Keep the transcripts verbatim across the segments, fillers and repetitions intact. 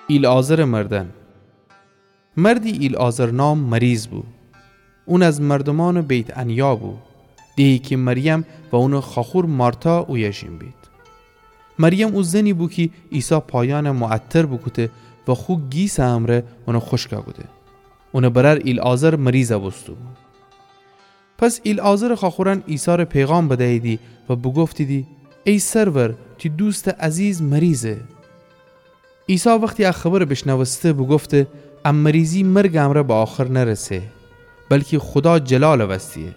ایلعازرٚ مردن. مردی ایلعازر نام مریض بو. اون از مردومأنٚ بیت‌عنیا بو، دهی کی مریم و اونٚ خواخور مارتا اویه ژین بید. مریم او زنی بو کی عیسی پایأنَ معطر بوکوده و خو گیسٚ امرأ اونَ خوشکَ کوده. اونٚ برأر ایلعازر مریضَ بوسته‌بو. پس ایلعازرٚ خواخورأن عیسی‌ره پیغام بدییدی و بوگفتیدی: ای سرور، تی دوستٚ عزیز مریضه. عیسی وختی ا خبرَ بیشنوسته، بوگفته: ا مریضی مرگٚ امرأ به آخر نرسه، بلکی خودا جلالٚ وستیه،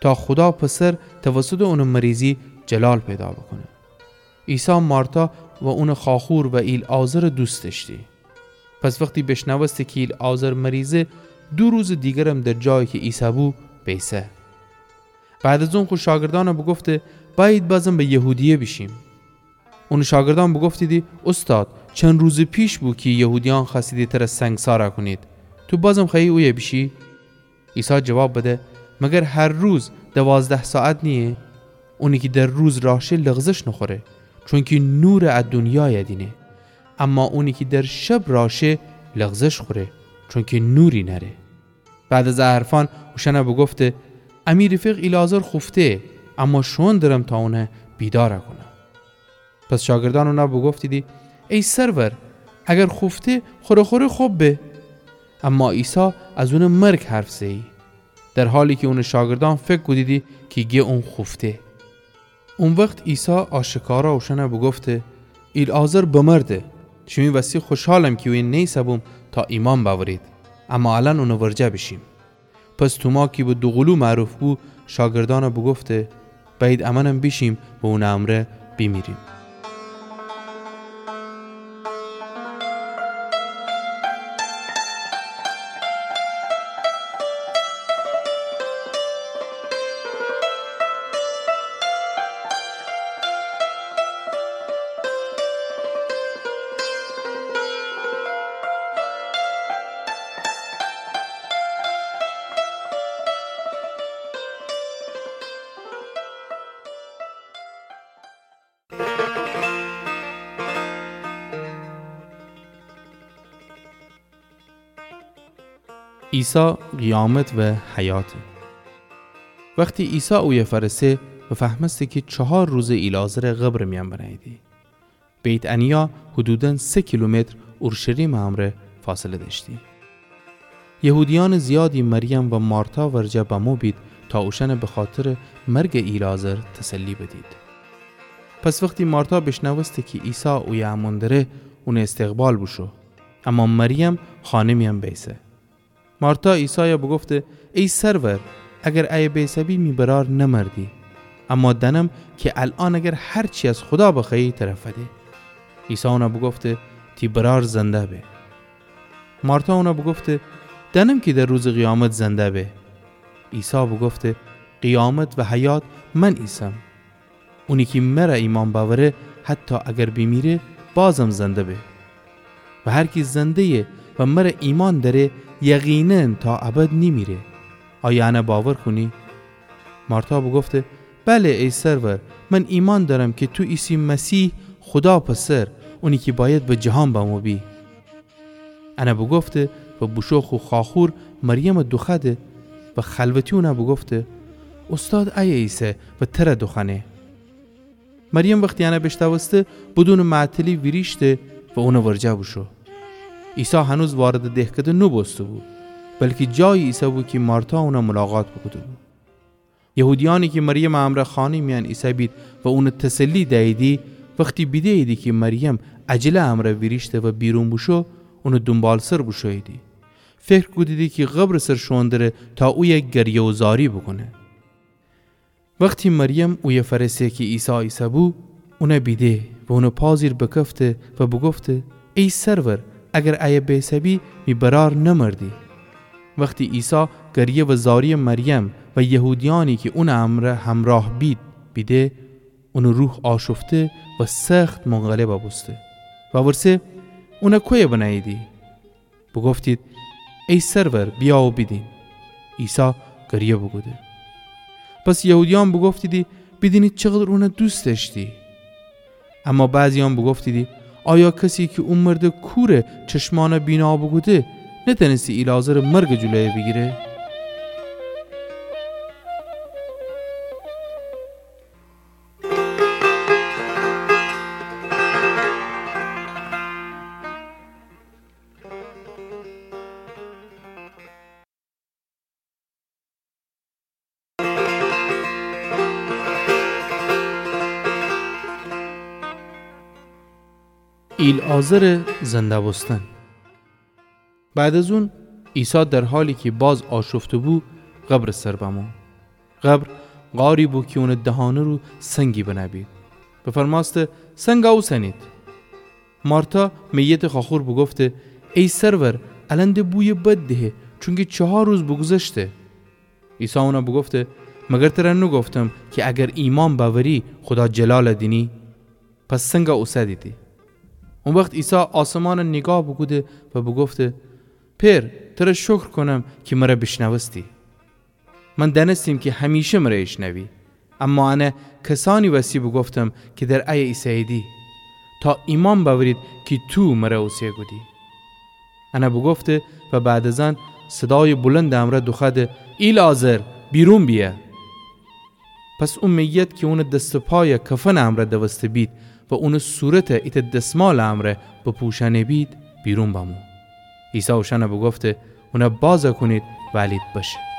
تا خودا پسر توسطٚ اونٚ مریضی جلال پیدا بوکونه. عیسی مارتا و اونٚ خواخور و ایلعازرَ دوست دأشتی. پس وختی بیشنوسته کی ایلعازر مریضه، دو روزٚ دیگرم در جایی کی عیسی بو، بیسه. بعد از اون خو شاگردأنَ بوگفته: بأیید بازم به یهودیه بیشیم. اونٚ شاگردأن بوگفتیدی: اوستاد، چند روزٚ پیش بو کی یهودیأن خوأستیدی تره سنگسارَ کونید. تو بازم خوأیی اویه بیشی؟ عیسی جواب بده: مگر هر روز دوازده ساعت نییه؟ اونی کی در روز راه شه لغزش نوخوره، چونکی نورٚ ا دونیایَ دینه. اما اونی کی در شب راه شه لغزش خوره، چونکی نوری نأره. بعد از ا حرفأن اوشأنَ بوگفته: امی رفیق ایلعازر خوفته، اما شوئون درم تا اونَ بیدارَ کونم. پس شاگردأن اونَ بوگفتیدی: ای سرور، اگر خوفته، خوره خوره خب به. اما عیسی از اونٚ مرگ حرف زه‌یی، در حالی کی اونٚ شاگردأن فکر کودیدی کی گه اون خوفته. او وخت عیسی آشکارا اوشأنَ بوگفته: ایلعازر بمرده. شیمی وستی خوشحالم کی اویه نیسه‌بوم تا ایمأن بأورید، اما الأن اونٚ ورجه بیشیم. پس توما کی به دوقولو معروف بو، شاگردأنَ بوگفته: بأیید امأنم بیشیم و اونٚ امرأ بیمیریم. عیسی قیامت و حیات. وختی عیسی اویه فأرسه، بفهمسته کی چهار روزه ایلعازر قبرٚ میأن بنهییدی. بیت‌عنیا حدوداً سه کیلومتر اورشلیمٚ امرأ فاصله دأشتی. یهودیأنٚ زیادی مریم و مارتا ورجه بمو بید تا اوشأنَ بخاطرٚ مرگٚ ایلعازر تسلی بدید. پس وختی مارتا بیشنوسته کی عیسی اویه امون دره، اونٚ استقبال بوشو. اما مریم خانه میأن بیسه. مارتا عیسایَ بوگفته: ای سرور، اگر ایه بیسه‌بی می برأر نمردی. اما دأنم کی الأن اگر هر چی از خودا بخوأیی تره فده. عیسی اونَ بوگفته: تی برأر زنده به. مارتا اونَ بوگفته: دأنم کی در روزٚ قیامت زنده به. عیسی بوگفته: قیامت و حیات من ایسم. اونی کی مره ایمأن بأوره، حتی اگر بیمیره، بازم زنده به. و هر کی زنده‌یه و مره ایمأن دأره، یقیناً تا ابد نیمیره. آیا انَ باور کونی؟ مارتا بوگفته: بله، ای سرور، من ایمأن دأرم کی تو ایسی مسیح، خودا پسر، اونی کی بأید به جهان بمو بی. انَ بوگفته و بوشو خو خواخور مریمَ دوخوأده و خلوتی اونَ بوگفته: اوستاد ایه ایسه و تره دوخوأنه. مریم وختی انَ بیشنوسته، بدونٚ معطلی ویریشته و اونٚ ورجه بوشو. عیسی هنوز واردٚ دهکده نوبوسته‌بو، بلکی جایی ایسه‌بو کی مارتا اونَ ملاقات بوکوده‌بو. یهودیأنی کی مریمٚ امرأ خانه میأن ایسه‌بید و اونَ تسلی دییدی، وختی بیده‌ییدی کی مریم عجله امرأ ویریشته و بیرون بوشو، اونٚ دونبالسر بوشوییدی. فکر کودیدی کی قبرٚ سر شوئون دره تا اویه گریه و زاری بوکونه. وختی مریم اویه فأرسه کی عیسی ایسه‌بو، اونَ بیده و اونٚ پا زیر بکفته و بوگفته: ای سرور، اگر ایه بیسه‌بی، می برأر نمردی. وختی عیسی گریه و زاریٚ مریم و یهودیأنی کی اونٚ امرأ همراه بید بیده، اونٚ روح آشفته و سخت منقلبَ بوسته. وورسه: اونَ کویه بنهییدی؟ بوگفتید: ای سرور، بیا و بیدین. عیسی گریه بوکوده. پس یهودیأن بوگفتیدی: بیدینید چقدر اونَ دوست دأشتی. اما بعضی‌یأن بوگفتیدی: آیا کسی کی او مردٚ کورٚ چشمأنَ بینا بوکوده، نتأنستی ایلعازرٚ مرگٚ جلویَ بیگیره؟ ایلعازرٚ زنده بوستن. بعد از اون، عیسی در حالی کی باز آشفته بو، قبرٚ سر بمو. قبر غاری بو کی اونٚ دهانه رو سنگی بنه بید. بفرمأسته: سنگَ اوسنید. مارتا، میتٚ خواخور، بوگفته: ای سرور، الأن د بویٚ بد دهه، چونکی چهار روز بوگوذشته. عیسی اونَ بوگفته: مگر ترَ نوگفتم کی اگر ایمأن بأوری، خودا جلالَ دینی؟ پس سنگَ اوسدیدی. او وخت عیسی آسمانَ نیگاه بوکوده و بوگفته: پئر، ترَ شکر کونم کی مرَ بیشنوستی. من دأنستیم کی همیشه مرَ ایشنوی، اما انَ کسأنی وسی بوگفتم کی در ایه ایسه‌ییدی، تا ایمأن بأورید کی تو مرَ اوسه کودی. انَ بوگفته و بعد از ان صدایٚ بلندٚ امرأ دوخوأده: ایلعازر، بیرون بیأ! پس او میت کی اونٚ دس و پایَ کفنٚ امرأ دوسته بید و اونٚ صورتَ ایتأ دسمالٚ امرأ بپوشأنه بید، بیرون بمو. عیسی اوشأنَ بوگفته: اونَ بازَ کونید و الید بشه.